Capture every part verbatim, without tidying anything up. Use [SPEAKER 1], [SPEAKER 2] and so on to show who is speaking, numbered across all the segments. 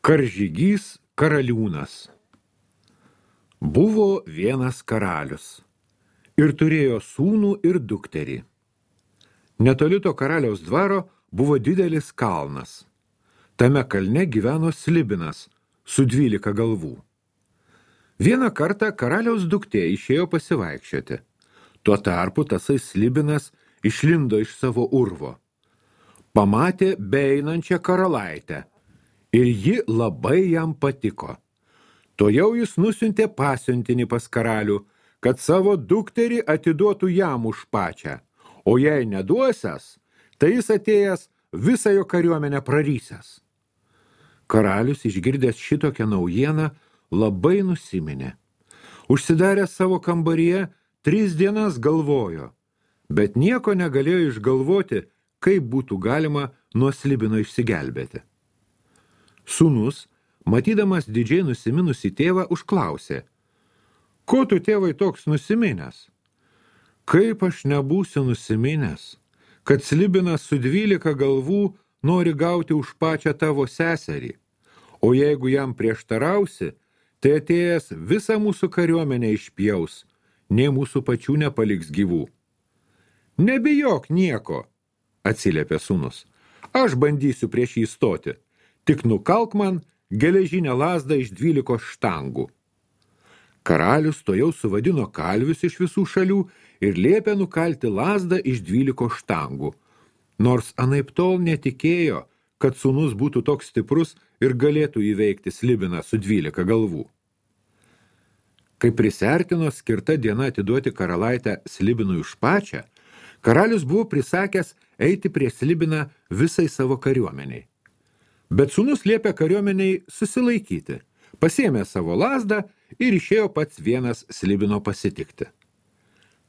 [SPEAKER 1] Karžygys karaliūnas. Buvo vienas karalius ir turėjo sūnų ir dukterį. Netoli to karaliaus dvaro buvo didelis kalnas. Tame kalne gyveno slibinas su dvylika galvų. Vieną kartą karaliaus duktė išėjo pasivaikščioti. Tuo tarpu tasai slibinas išlindo iš savo urvo. Pamatė beeinančią karalaitę ir ji labai jam patiko. Tojau jis nusiuntė pasiuntinį pas karalių, kad savo dukterį atiduotų jam už pačią, o jei neduosias, tai jis atėjęs visą jo kariuomenę prarysęs. Karalius, išgirdęs šitokią naujieną, labai nusiminė. Užsidaręs savo kambaryje, tris dienas galvojo, bet nieko negalėjo išgalvoti, kaip būtų galima nuo slibino išsigelbėti. Sūnus, matydamas didžiai nusiminusį tėvą, užklausė: ko tu, tėvai, toks nusiminęs? Kaip aš nebūsiu nusiminęs, kad slibinas su dvylika galvų nori gauti už pačią tavo seserį, o jeigu jam prieštarausi, tai atėjęs visą mūsų kariuomenę išpjaus, nei mūsų pačių nepaliks gyvų. Nebijok nieko, atsiliepė sūnus, aš bandysiu prieš jį stoti, tik nukalk man geležinę lazdą iš dvylikos štangų. Karalius tojau suvadino kalvius iš visų šalių ir liepė nukalti lazdą iš dvylikos štangų, nors anaiptol netikėjo, kad sūnus būtų toks stiprus ir galėtų įveikti slibiną su dvylika galvų. Kai prisiartino skirta diena atiduoti karalaitę slibinui už pačią, karalius buvo prisakęs eiti prie slibiną visai savo kariuomeniai. Bet sūnus liepė kariuomeniai susilaikyti, pasiėmė savo lazdą ir išėjo pats vienas slibino pasitikti.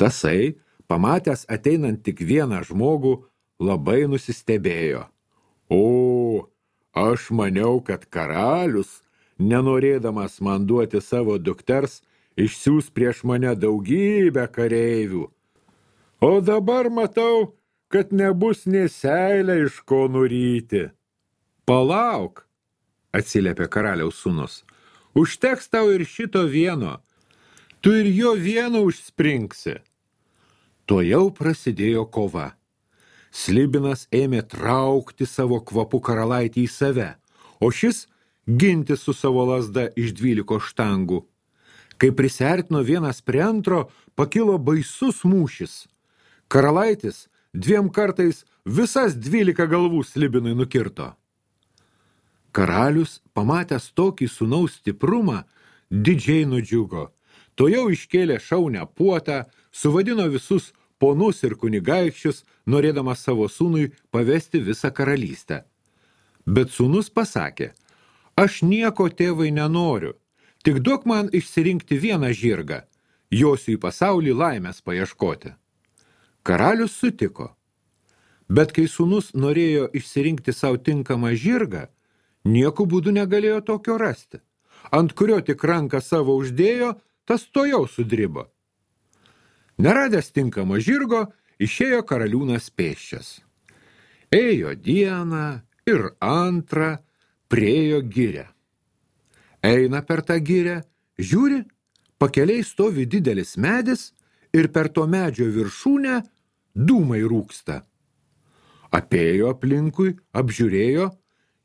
[SPEAKER 1] Tasai, pamatęs ateinant tik vieną žmogų, labai nusistebėjo. O, aš maniau, kad karalius, nenorėdamas man duoti savo dukters, išsiųs prieš mane daugybę kareivių. O dabar matau, kad nebus nė seilę iš ko nuryti. Palauk, atsiliepė karaliaus sūnus, užteks tau ir šito vieno, tu ir jo vieno užspringsi. Tojau prasidėjo kova. Slibinas ėmė traukti savo kvapu karalaitį į save, o šis ginti su savo lazda iš dvyliko štangų. Kai prisiartino vienas prie antro, pakilo baisus mūšis. Karalaitis dviem kartais visas dvylika galvų slibinui nukirto. Karalius, pamatęs tokį sūnaus stiprumą, didžiai nudžiugo. Tojau iškėlė šaunią puotą, suvadino visus ponus ir kunigaikščius, norėdamas savo sūnui pavesti visą karalystę. Bet sūnus pasakė: aš nieko, tėvai, nenoriu, tik duok man išsirinkti vieną žirgą, josiu į pasaulį laimės paieškoti. Karalius sutiko. Bet kai sūnus norėjo išsirinkti savo tinkamą žirgą, nieku būdu negalėjo tokio rasti. Ant kurio tik ranką savo uždėjo, tas tojau sudribo. Neradęs tinkamo žirgo, išėjo karaliūnas pėsčias. Ėjo dieną ir antrą, priėjo girią. Eina per tą girią, žiūri, pakeliai stovi didelis medis ir per to medžio viršūnę dūmai rūksta. Apėjo aplinkui, apžiūrėjo,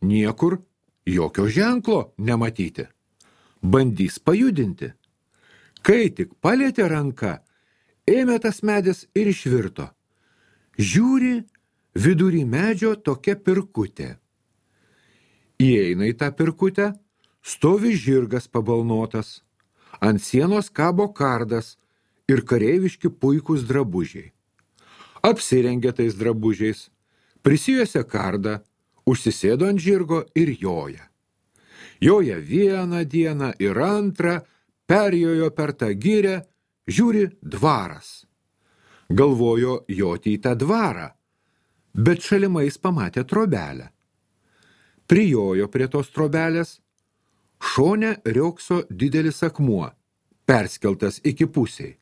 [SPEAKER 1] niekur jokio ženklo nematyti. Bandys pajudinti. Kai tik palietė ranką, ėmė tas medis ir išvirto. Žiūri, vidury medžio tokia pirkutė. Įeina į tą pirkutę, stovi žirgas pabalnotas. Ant sienos kabo kardas ir kareiviški puikūs drabužiai. Apsirengė tais drabužiais, prisijuosė kardą, užsisėdo ant žirgo ir joja. Joja vieną dieną ir antrą, perjojo per tą girią, žiūri, dvaras. Galvojo joti į tą dvarą, bet šalimais pamatė trobelę. Prijojo prie tos trobelės, šone riokso didelis akmuo, perskeltas iki pusiai.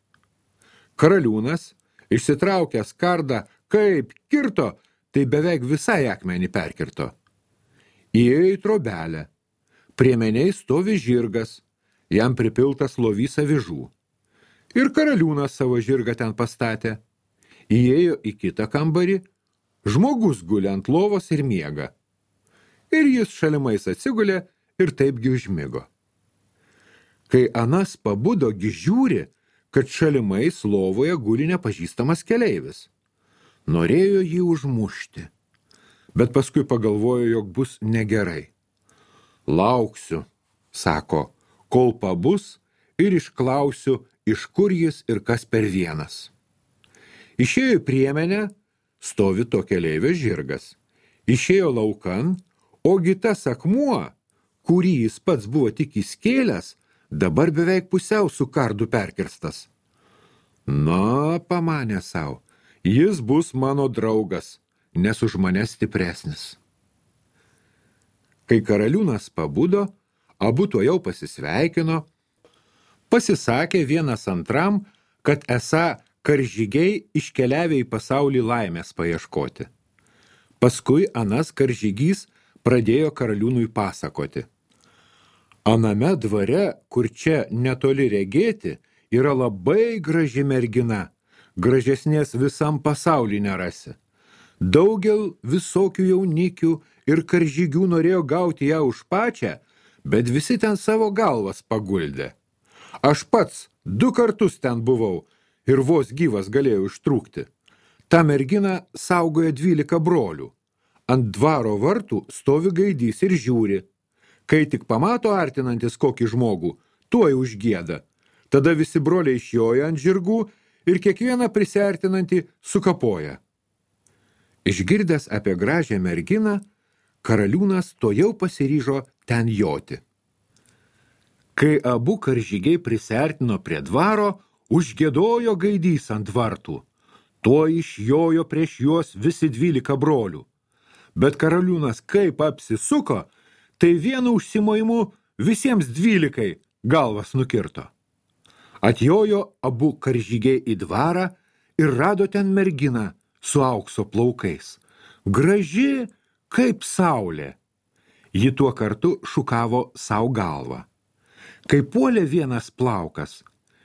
[SPEAKER 1] Karaliūnas, išsitraukęs kardą, kaip kirto, tai beveik visai akmenį perkirto. Įėjo į trobelę, Priemeniai stovi žirgas, jam pripiltas lovys avižų. Ir karaliūnas savo žirgą ten pastatė. Įėjo į kitą kambarį, žmogus guli ant lovos ir miega. Ir jis šalimais atsigulė ir taipgi užmigo. Kai anas pabudogi žiūri, kad šalimais lovoje guli nepažįstamas keleivis. Norėjo jį užmušti, bet paskui pagalvojo, jog bus negerai. Lauksiu, sako, kol pabus ir išklausiu, iš kur jis ir kas per vienas. Išėjo į priemenę, stovi to keleivio žirgas. Išėjo laukan, ogi tas akmuo, kurį jis pats buvo tik įskėlęs, dabar beveik pusiau su kardu perkirstas. Na, pamanė sau, jis bus mano draugas, nes už mane stipresnis. Kai karaliūnas pabudo, abu tuojau pasisveikino, pasisakė vienas antram, kad esą karžygiai iškeliavę į pasaulį laimės paieškoti. Paskui anas karžygys pradėjo karaliūnui pasakoti. Aname dvare, kur čia netoli regėti, yra labai graži mergina, gražesnės visam pasaulį nerasi. Daugel visokių jaunikių ir karžygių norėjo gauti ją už pačią, bet visi ten savo galvas paguldė. Aš pats du kartus ten buvau ir vos gyvas galėjau ištrūkti. Ta mergina saugoja dvylika brolių. Ant dvaro vartų stovi gaidys ir žiūri. Kai tik pamato artinantis kokį žmogų, tuoj užgieda. Tada visi broliai išjoja ant žirgų ir kiekvieną prisiartinantį sukapoja. Išgirdęs apie gražią merginą, karaliūnas tojau pasiryžo ten joti. Kai abu karžygiai prisiartino prie dvaro, užgiedojo gaidys ant vartų. Tuoj išjojo prieš juos visi dvylika brolių. Bet karaliūnas kaip apsisuko, tai vienu užsimojimu visiems dvylikai galvas nukirto. Atjojo abu karžygiai į dvarą ir rado ten merginą su aukso plaukais. Graži kaip saulė. Ji tuo kartu šukavo sau galvą. Kai puolė vienas plaukas,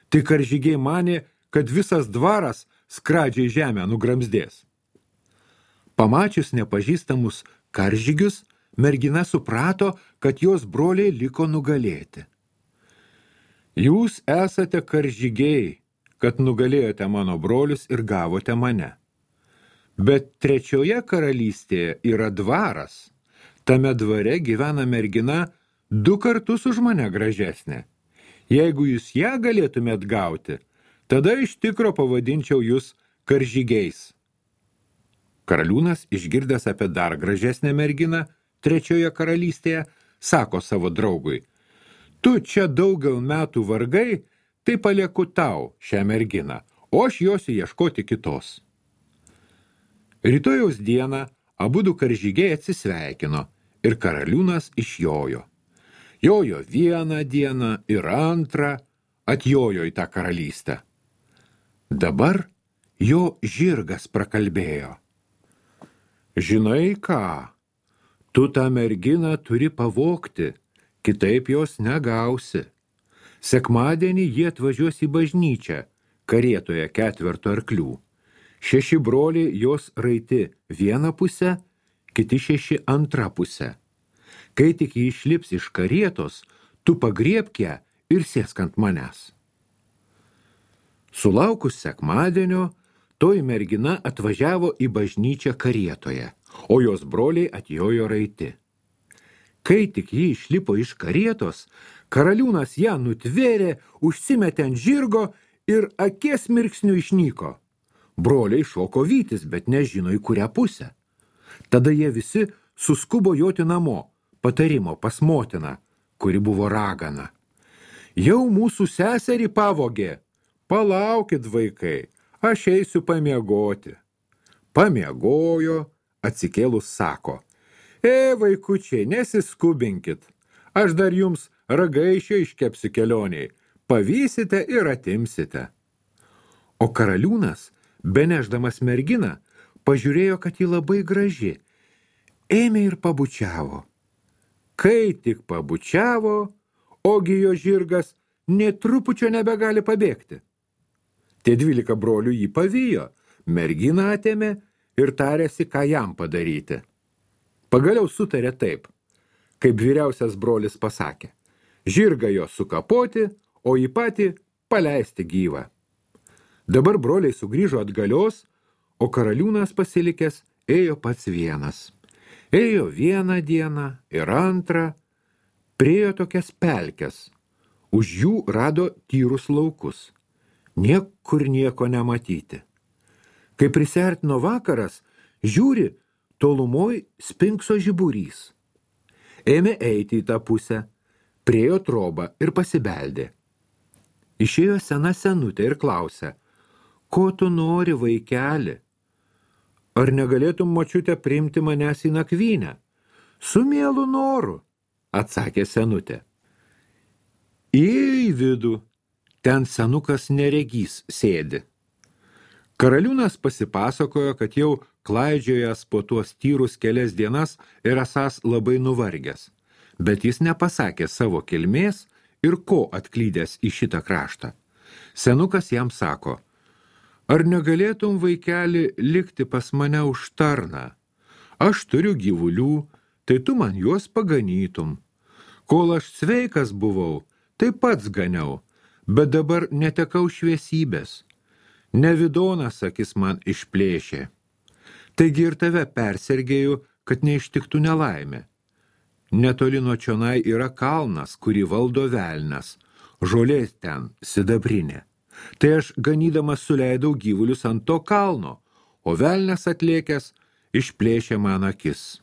[SPEAKER 1] tai karžygiai manė, kad visas dvaras skradžiai žemę nugramzdės. Pamačius nepažįstamus karžygius, mergina suprato, kad jos broliai liko nugalėti. Jūs esate karžygiai, kad nugalėjote mano brolius ir gavote mane. Bet trečioje karalystėje yra dvaras. Tame dvare gyvena mergina du kartus už mane gražesnė. Jeigu jūs ją galėtumėt gauti, tada iš tikro pavadinčiau jūs karžygiais. Karaliūnas, išgirdęs apie dar gražesnę merginą trečioje karalystėje, sako savo draugui, tu čia daugel metų vargai, tai palieku tau šią merginą, o aš josiu ieškoti kitos. Rytojaus dieną abudu karžygiai atsisveikino ir karaliūnas išjojo. Jojo vieną dieną ir antrą, atjojo į tą karalystę. Dabar jo žirgas prakalbėjo. Žinai ką, tu tą merginą turi pavogti, kitaip jos negausi. Sekmadienį jie atvažiuos į bažnyčią, karietoje ketverto arklių. Šeši broliai jos raiti vieną pusę, kiti šeši antrą pusę. Kai tik jį išlips iš karietos, tu pagriebk ją ir sėsk ant manęs. Sulaukus sekmadienio, toji mergina atvažiavo į bažnyčią karietoje, o jos broliai atjojo raiti. Kai tik jį išlipo iš karietos, karaliūnas ją nutvėrė, užsimetė ant žirgo ir akies mirksniu išnyko. Broliai šoko vytis, bet nežino į kurią pusę. Tada jie visi suskubo joti namo, patarimo pas motiną, kuri buvo ragana. Jau mūsų seserį pavogė. Palaukit, vaikai, aš eisiu pamiegoti. Pamiegojo, atsikėlus sako. E, vaikučiai, nesiskubinkit. Aš dar jums ragaišio iškepsiu kelioniai. Pavysite ir atimsite. O karaliūnas, beneždamas merginą, pažiūrėjo, kad ji labai graži. Ėmė ir pabučiavo. Kai tik pabučiavo, ogi jo žirgas nė trupučio nebegali pabėgti. Tie dvylika brolių jį pavijo, merginą atėmė ir tarėsi, ką jam padaryti. Pagaliau sutarė taip, kaip vyriausias brolis pasakė, žirgą jo sukapoti, o jį patį paleisti gyvą. Dabar broliai sugrįžo atgalios, o karaliūnas pasilikęs ėjo pats vienas. Ėjo vieną dieną ir antrą, priėjo tokias pelkes, už jų rado tyrus laukus. Niekur nieko nematyti. Kai prisiartino vakaras, žiūri, tolumoj spinkso žiburys. Ėmė eiti į tą pusę, priėjo trobą ir pasibeldė. Išėjo sena senutė ir klausė, ko tu nori, vaikeli? Ar negalėtum, močiute, priimti manęs į nakvynę? Su mielu noru, atsakė senutė. Įėjo į vidų, ten senukas neregys sėdi. Karaliūnas pasipasakojo, kad jau klaidžiojęs po tuos tyrus kelias dienas ir esąs labai nuvargęs, bet jis nepasakė savo kilmės ir ko atklydęs į šitą kraštą. Senukas jam sako, ar negalėtum, vaikeli, likti pas mane už tarną? Aš turiu gyvulių, tai tu man juos paganytum. Kol aš sveikas buvau, tai pats ganiau, bet dabar netekau šviesybės. Nevidonas akis man išplėšė. Taigi ir tave persergėjau, kad neištiktų nelaimė. Netoli nuo čionai yra kalnas, kurį valdo velnas, žolės ten sidabrinė. Tai aš ganydamas suleidau gyvulius ant to kalno, o velnas atlėkęs išplėšė man akis.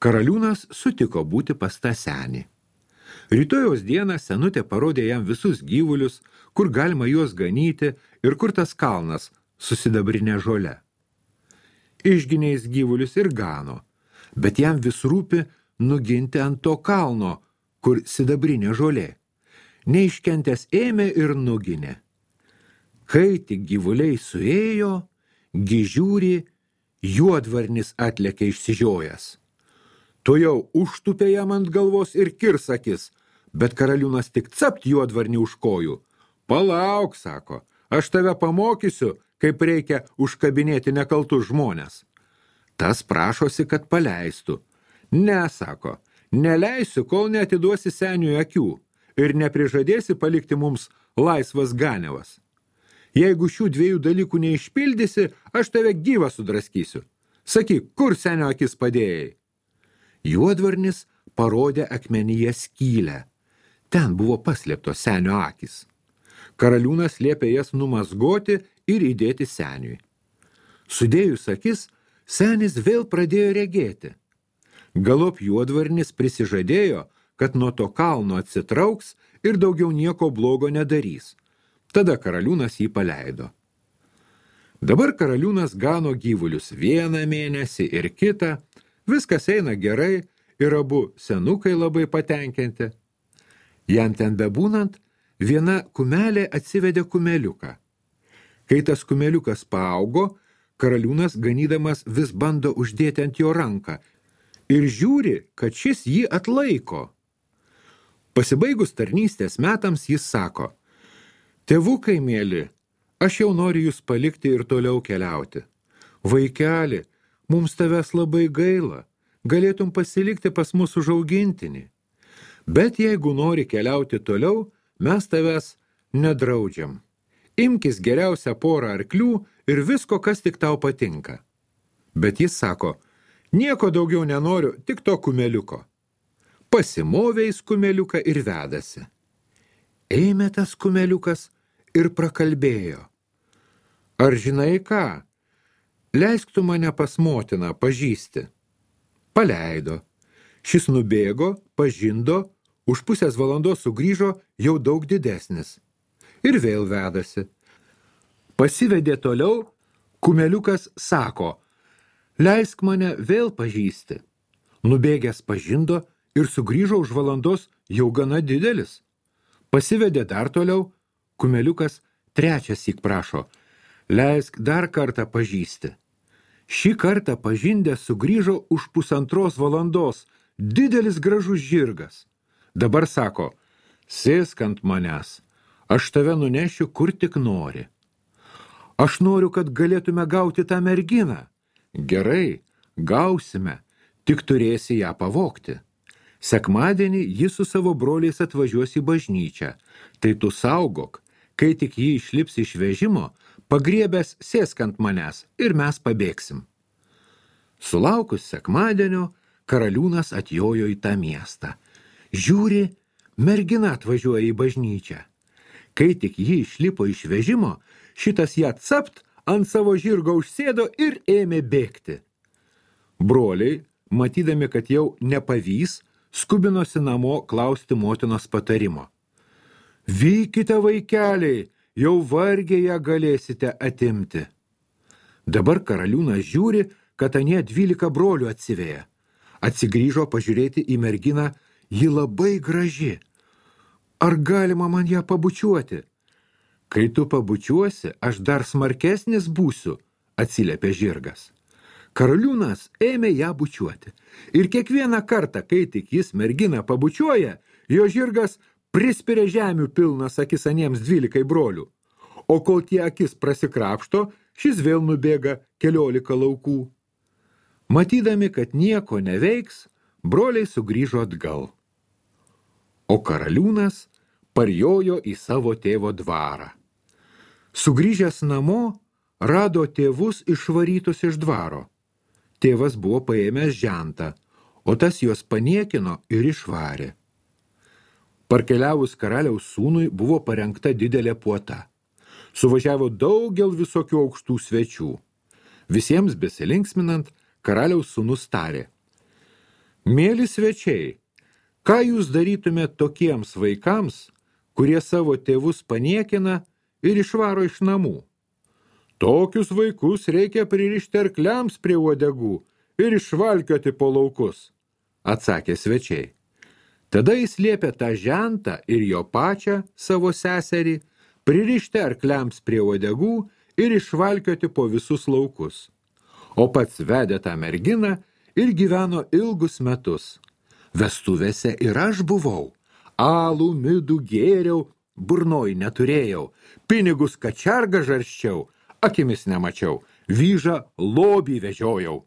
[SPEAKER 1] Karaliūnas sutiko būti pas tą senį. Rytojaus dieną senutė parodė jam visus gyvulius, kur galima juos ganyti ir kur tas kalnas susidabrinė žole. Išginiais gyvulius ir gano, bet jam vis rūpi nuginti ant to kalno, kur sidabrinė žolė. Neiškentęs ėmė ir nuginė. Kai tik gyvuliai suėjo, gižiūri, juodvarnis atlėkė išsižiojęs. Tu jau užtupė jam ant galvos ir kirsakis, bet karaliūnas tik capt juodvarnį už kojų. Palauk, sako, aš tave pamokysiu, kaip reikia užkabinėti nekaltus žmonės. Tas prašosi, kad paleistų. Ne, sako, neleisiu, kol neatiduosi seniui akių ir neprižadėsi palikti mums laisvas ganiavas. Jeigu šių dviejų dalykų neišpildysi, aš tave gyvą sudraskysiu. Sakyk, kur senio akis padėjai? Juodvarnis parodė akmenyje skylę. Ten buvo paslėptos senio akis. Karaliūnas liepė jas numazgoti ir įdėti seniui. Sudėjus akis, senis vėl pradėjo regėti. Galop juodvarnis prisižadėjo, kad nuo to kalno atsitrauks ir daugiau nieko blogo nedarys. Tada karaliūnas jį paleido. Dabar karaliūnas gano gyvulius vieną mėnesį ir kitą, viskas eina gerai ir abu senukai labai patenkinti. Jam ten bebūnant, viena kumelė atsivedė kumeliuką. Kai tas kumeliukas paaugo, karaliūnas ganydamas vis bando uždėti ant jo ranką ir žiūri, kad šis jį atlaiko. Pasibaigus tarnystės metams jis sako, tėvukai mėly, aš jau noriu jūs palikti ir toliau keliauti. Vaikeli, mums tavęs labai gaila, galėtum pasilikti pas mus užaugintinį. Bet jeigu nori keliauti toliau, mes tavęs nedraudžiam. Imkis geriausią porą arklių ir visko, kas tik tau patinka. Bet jis sako, nieko daugiau nenoriu, tik to kumeliuko. Pasimovė jis kumeliuką ir vedasi. Ėmė tas kumeliukas ir prakalbėjo. Ar žinai ką? Leisk tu mane pas motiną pažįsti. Paleido. Šis nubėgo, pažindo, už pusės valandos sugrįžo jau daug didesnis. Ir vėl vedasi. Pasivedė toliau, kumeliukas sako, leisk mane vėl pažįsti. Nubėgęs pažindo ir sugrįžo už valandos jau gana didelis. Pasivedė dar toliau, kumeliukas trečiąsyk prašo, leisk dar kartą pažįsti. Šį kartą pažindę sugrįžo už pusantros valandos, didelis gražus žirgas. Dabar sako, sėsk ant manęs, aš tave nunešiu kur tik nori. Aš noriu, kad galėtume gauti tą merginą. Gerai, gausime, tik turėsi ją pavogti. Sekmadienį ji su savo broliais atvažiuos į bažnyčią. Tai tu saugok, kai tik ji išlips iš vežimo, pagriebęs sėsk ant manęs ir mes pabėgsim. Sulaukus sekmadienio, karaliūnas atjojo į tą miestą. Žiūri, mergina atvažiuoja į bažnyčią. Kai tik ji išlipo iš vežimo, šitas ją capt ant savo žirgo užsėdo ir ėmė bėgti. Broliai, matydami, kad jau nepavys, skubinosi namo klausti motinos patarimo. Vykite, vaikeliai, jau vargiai ją galėsite atimti. Dabar karaliūnas žiūri, kad anie dvylika brolių atsiveja. Atsigrįžo pažiūrėti į merginą, ji labai graži. Ar galima man ją pabučiuoti? Kai tu pabučiuosi, aš dar smarkesnis būsiu, atsiliepė žirgas. Karaliūnas ėmė ją bučiuoti. Ir kiekvieną kartą, kai tik jis merginą pabučiuoja, jo žirgas prispiria žemių pilnas akis aniems dvylikai brolių. O kol tie akis prasikrapšto, šis vėl nubėga keliolika laukų. Matydami, kad nieko neveiks, broliai sugrįžo atgal. O karaliūnas parjojo į savo tėvo dvarą. Sugrįžęs namo, rado tėvus išvarytus iš dvaro. Tėvas buvo paėmęs žentą, o tas juos paniekino ir išvarė. Parkeliavus karaliaus sūnui buvo parengta didelė puota. Suvažiavo daugel visokių aukštų svečių. Visiems besilinksminant, karaliaus sūnus tarė. Mėly svečiai, ką jūs darytumėte tokiems vaikams, kurie savo tėvus paniekina ir išvaro iš namų? Tokius vaikus reikia pririšti arkliams prie uodegų ir išvalkioti po laukus, atsakė svečiai. Tada jis liepė tą žentą ir jo pačią, savo seserį, pririšti arkliams prie uodegų ir išvalkioti po visus laukus. O pats vedė tą merginą ir gyveno ilgus metus. Vestuvėse ir aš buvau. Alų, midų gėriau, burnoj neturėjau, pinigus kačergą žarščiau, akimis nemačiau, vyžą lobį vežiojau,